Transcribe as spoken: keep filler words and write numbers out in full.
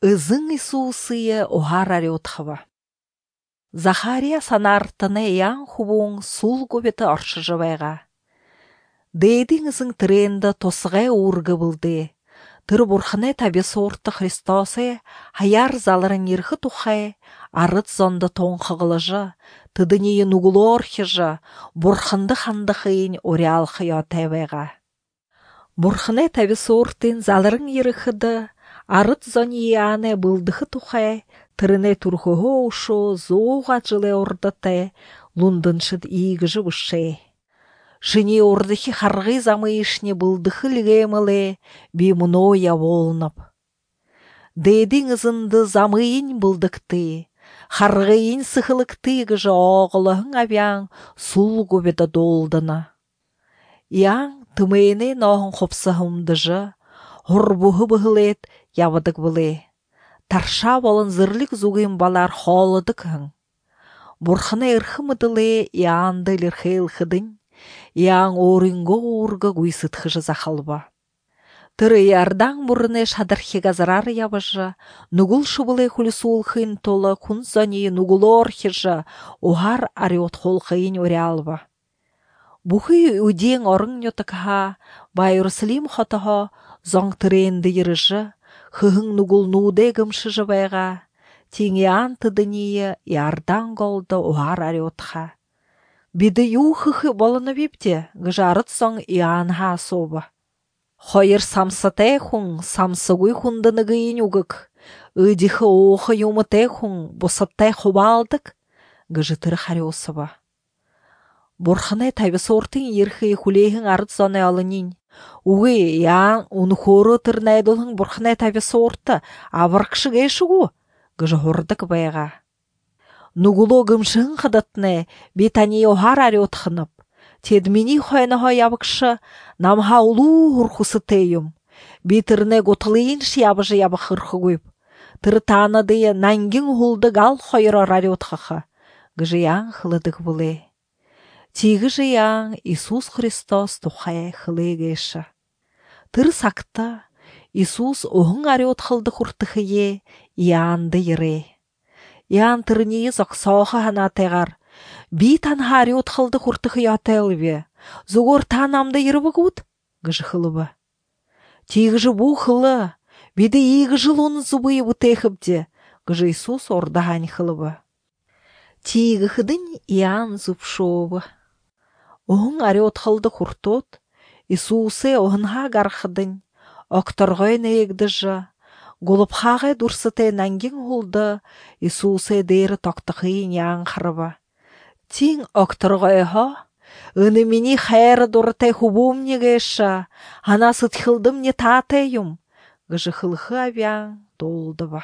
Ызың Исусые охар ариотхава. Захария санартыны ян хубуң сул көбеті аршы жывайға. Дейдің ызың тренді тосығай урғы бұлды. Тыр бурханы табе сорты Христосы хаяр заларын ерхі тухай, арыт зонды тоңқығылыжы, тыдынейі нугулор хижы, бурхынды ханды хыйын ориал хыя тәвайға. Бурханы табе сортын заларын ерхіді, арыт зонияны бұлдығы тухай, тырыны турхығы ушу, зоуға жылы ордыты, лундыншыд игіжі бұшы. Жыне ордыхи харғы замыйшне бұлдығы лігемілі, беймуноя волнып. Дейдің ызынды замыйын бұлдықты, харғыйын сықылықты гіжі оғылығын авян сул көбеді долдыны. Яң тымейні нағын қопсығымдыжы, ғұрбуғы бұғылет явыдық бұлы. Тарша болын зырлік зуғын балар холыдық хың. Бурханы ырхымыдылы яңды лірхейл хыдын, яң орынғы орғы гүйсытхыжы захалба. Тыры ярдан бұрыны шадырхи газарар ябыжы, нугул шыбылы хулисул хын толы күн зони нугулор хижы, ухар ариот хол хыйын орялба. Бұхы үден орын йотықха, байырсылим хотыға, зоң тыренді еріжі, хыхың нугул нуде гымшы жывайға, теңе антыдыние ярдан голды ухар ариотха. Биді ю хыхы болыны бепте, гыжарыт соң ианха соба. Хойыр самсытай хуң, самсыгуй хундыны гыйын угык, ыдихы оғы юмытай хуң, босаттай хубалдык, гыжытыр хариосыба. Бурханы табы сортын ерхы хулейхің арыт зоны алынын. Уғы, яң, уны хоры тырнайдылың бурханы табы сорты, авыркшы гейшігу, гыжы хордык байға. Нугуло гымшын қыдытны, бетани охар ариотхынып. Тедмини хойныға ябықшы, намха улу хурхусы тейім. Бетіріне готылыйын шиябыжы ябы хырхы көйіп. Тыры таныдыйы нангин хулды гал хойыр ариотхықы. Гыжы яң хылыдық бұлы. Тегі жияң Исус Христос тухай хылы гейші. Тыр сақты, Исус оғын ариот хылды хұртықы е, яңды ере. Ян тырнии зоқсауға хана тегар. Би танха ариот хылды хұртықы ятайлве. Зугор танамды ерібі гуд? Гыжы хылыбы. Тегі жы бұ хылы. Биді егі жыл оны зубыйы бұтейхіпде. Гыжы Исус ордағань хылыбы. Тегі хыдын ян зубшовы. Оғын ариот хылды хұртот. Исусы оғынға гархыдын. Оқтырғойны егдіжі. Голубхағай дұрсыты нәңген ғолды, Исусы дейрі тоқтықыйын яң қырыбы. Тин оқтырғойға, үні мені хайры дұрытай хубум негеші, ана сытхылдым не татайым, гыжы хылхы авян долды ба.